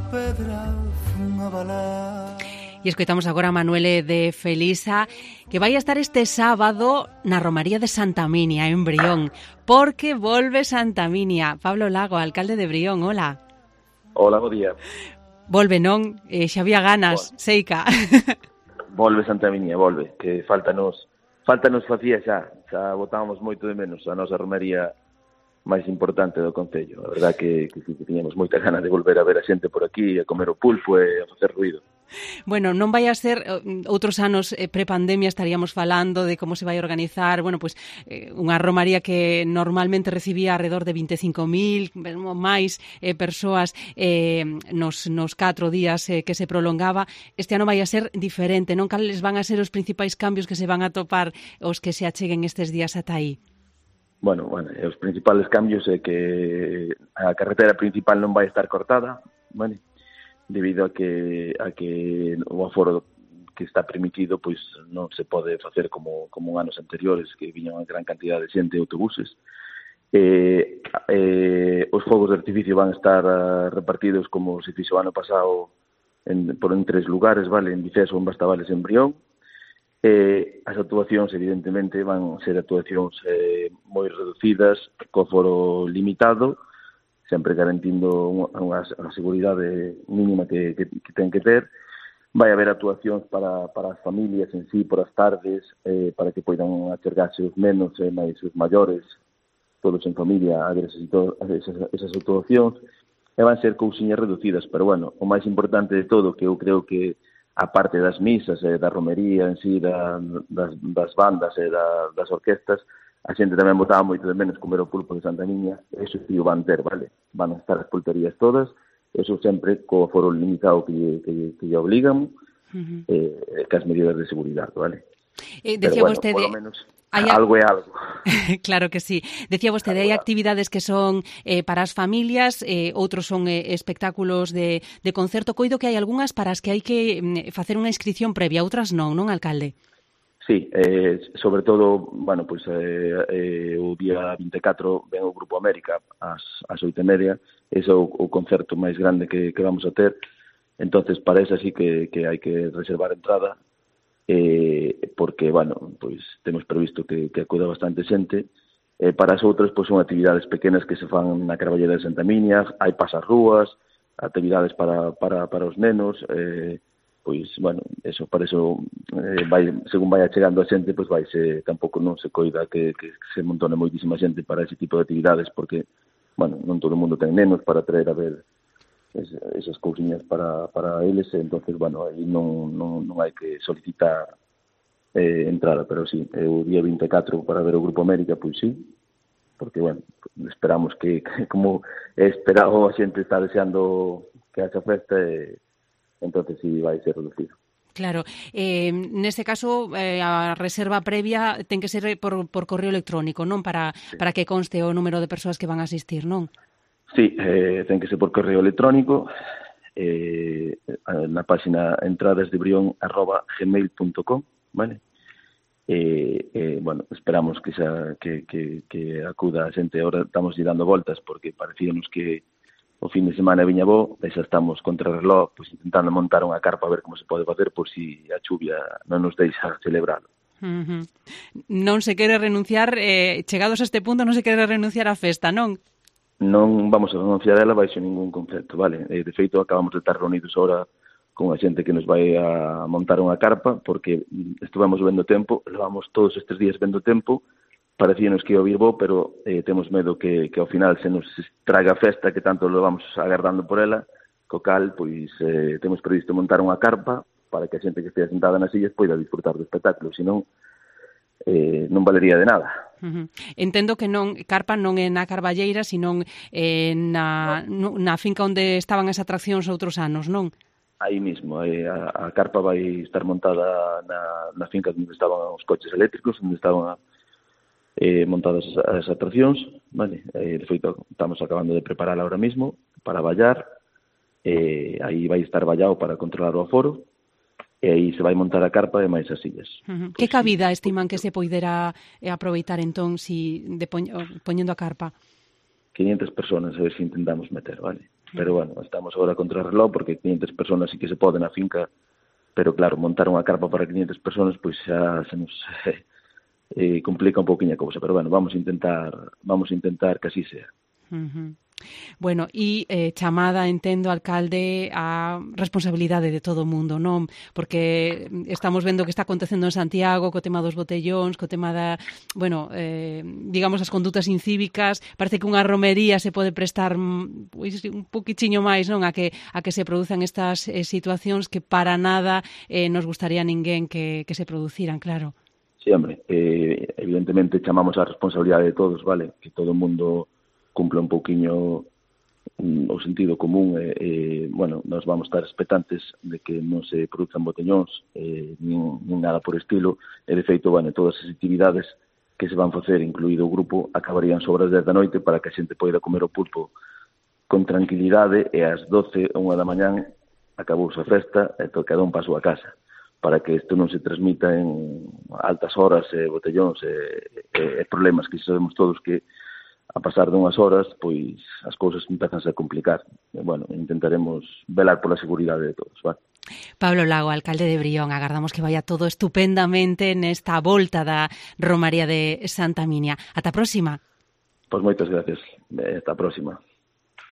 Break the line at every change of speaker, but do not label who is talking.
pedra fun a balar.
E escoitamos agora a Manuele de Felisa, que vai a estar este sábado na Romaría de Santa Minia, en Brión, porque volve Santa Minia. Pablo Lago, alcalde de Brión, hola.
Hola, bo día.
Volve, non? Xa había ganas, seica.
Volve Santa Minia, volve, que faltanos facía xa botábamos moito de menos a nosa romería máis importante do concello. A verdad que tiñamos moita gana de volver a ver a xente por aquí, a comer o pulpo e a facer ruido.
Bueno, non vai a ser outros anos prepandemia, estaríamos falando de como se vai organizar, bueno, pois unha romaría que normalmente recibía alrededor de 25.000 máis persoas nos 4 días que se prolongaba. Este ano vai a ser diferente, non? Cales van a ser os principais cambios que se van a topar os que se acheguen estes días ata aí?
Bueno, os principales cambios é que a carretera principal non vai estar cortada, vale? Debido a que o aforo que está permitido pois non se pode facer como anos anteriores, que viña unha gran cantidad de xente de autobuses. Os fogos de artificio van a estar repartidos como se fixo o ano pasado en 3 lugares, vale? En Viceso, en Bastavales e en Brión. As actuacións, evidentemente, van ser actuacións moi reducidas, co aforo limitado, sempre garantindo unha seguridade mínima que ten que ter. Vai haber actuacións para as familias en sí, por as tardes, para que poidan achegarse os nenos e máis os maiores, todos en familia, a ver esas actuacións. E van ser cousiñas reducidas, pero, bueno, o máis importante de todo, que eu creo que, aparte das misas e da romería en sí, das bandas e das orquestas, a xente tamén botaba moito de menos comer o pulpo de Santa Miña, eso sí o van ter, vale? Van a estar as pulperías todas, eso sempre co aforo limitado que lle obligan, que as medidas de seguridade, vale?
Decía vostede...
Por lo menos, algo é algo.
Claro que sí. Decía vostede, hai actividades que son para as familias, outros son espectáculos de concerto. Coido que hai algunhas para as que hai que facer unha inscripción previa, outras non, alcalde?
Sí, sobre todo, bueno, pois o día 24 ven o Grupo América ás 8:30, ese é o concerto máis grande que vamos a ter. Entonces, para esa sí que hai que reservar entrada, porque, bueno, pois temos previsto que acuda bastante xente. Para as outras, pois son actividades pequenas que se fan na Carballeda de Santa Miña, hai pasarrúas, actividades para os nenos, pois, bueno, eso, para eso, según vai chegando a xente, pois tampouco non se coida que se montone moitísima xente para ese tipo de actividades, porque, bueno, non todo o mundo ten nenos para traer a ver esas cousiñas para eles, entonces, bueno, aí non hai que solicitar entrada, pero sí, o día 24 para ver o Grupo América, pois sí, porque, bueno, esperamos que como esperado a xente está deseando que haxa festa, entonces sí vai ser reducido.
Claro, neste caso a reserva previa ten que ser por correo electrónico, non? Para que conste o número de persoas que van a asistir, non?
Sí, ten que ser por correo electrónico, na página entradasdebrion@gmail.com, vale? Bueno, esperamos que acuda a xente. Ahora estamos dando voltas porque parecíanos que o fin de semana viña bo, e xa estamos contra o reloj, pois intentando montar unha carpa a ver como se pode facer por si a chuvia non nos deixa celebralo.
Non se quere renunciar, chegados a este punto, non se quere renunciar á festa, non?
Non vamos a renunciar a ela baixo ningún concepto, vale? De feito, acabamos de estar reunidos ahora con a xente que nos vai a montar unha carpa, porque estuvemos vendo tempo, levamos todos estes días vendo tempo, parecíanos que ia vir bo, pero temos medo que ao final se nos traga a festa que tanto lo vamos agardando por ela, co cal, pois, temos previsto montar unha carpa para que a xente que estea sentada nas sillas poida disfrutar do espectáculo, senón non valería de nada.
Entendo que carpa non é na Carballeira, senón na finca onde estaban as atraccións outros anos, non?
Aí mismo, a carpa vai estar montada na finca onde estaban os coches eléctricos, onde estaban montadas as atraccións, vale? De feito, estamos acabando de preparala ahora mismo para vallar, aí vai estar vallado para controlar o aforo, e aí se vai montar a carpa e máis as sillas.
Que cabida estiman que se poidera aproveitar entón poñendo a carpa?
500 personas, a ver se intentamos meter, vale? Pero, bueno, estamos agora contra o reloj porque 500 personas sí que se poden na finca, pero, claro, montar unha carpa para 500 personas, pois xa se nos complica un pouquinho a cousa. Pero, bueno, vamos a intentar que así sea.
Bueno, e chamada, entendo, alcalde, a responsabilidade de todo o mundo, non? Porque estamos vendo que está acontecendo en Santiago co tema dos botellóns, co tema da, bueno, digamos, as condutas incívicas. Parece que unha romería se pode prestar pois, un poquichiño máis, non? A que se produzan estas situacións que para nada nos gustaría a ninguén que se produciran, claro.
Sí, hombre, evidentemente chamamos a responsabilidade de todos, vale? Que todo o mundo cumpla un pouquiño o sentido común. Bueno, nós vamos estar expectantes de que non se produzan botellóns nin nada por estilo, e de feito, bueno, todas as actividades que se van facer, incluído o grupo, acabarían sobre as 10 da noite para que a xente poida comer o pulpo con tranquilidade, e ás 12 ou 1 da mañán acabouse a festa e cada un pasou a casa, para que isto non se transmita en altas horas, botellóns e problemas que sabemos todos que a pasar dunhas horas, pois as cousas empezan a complicar. E, bueno, intentaremos velar pola seguridade de todos, vale?
Pablo Lago, alcalde de Brión, agardamos que vaya todo estupendamente nesta volta da Romaría de Santa Minia. Ata a próxima.
Pois moitas gracias. Ata a próxima.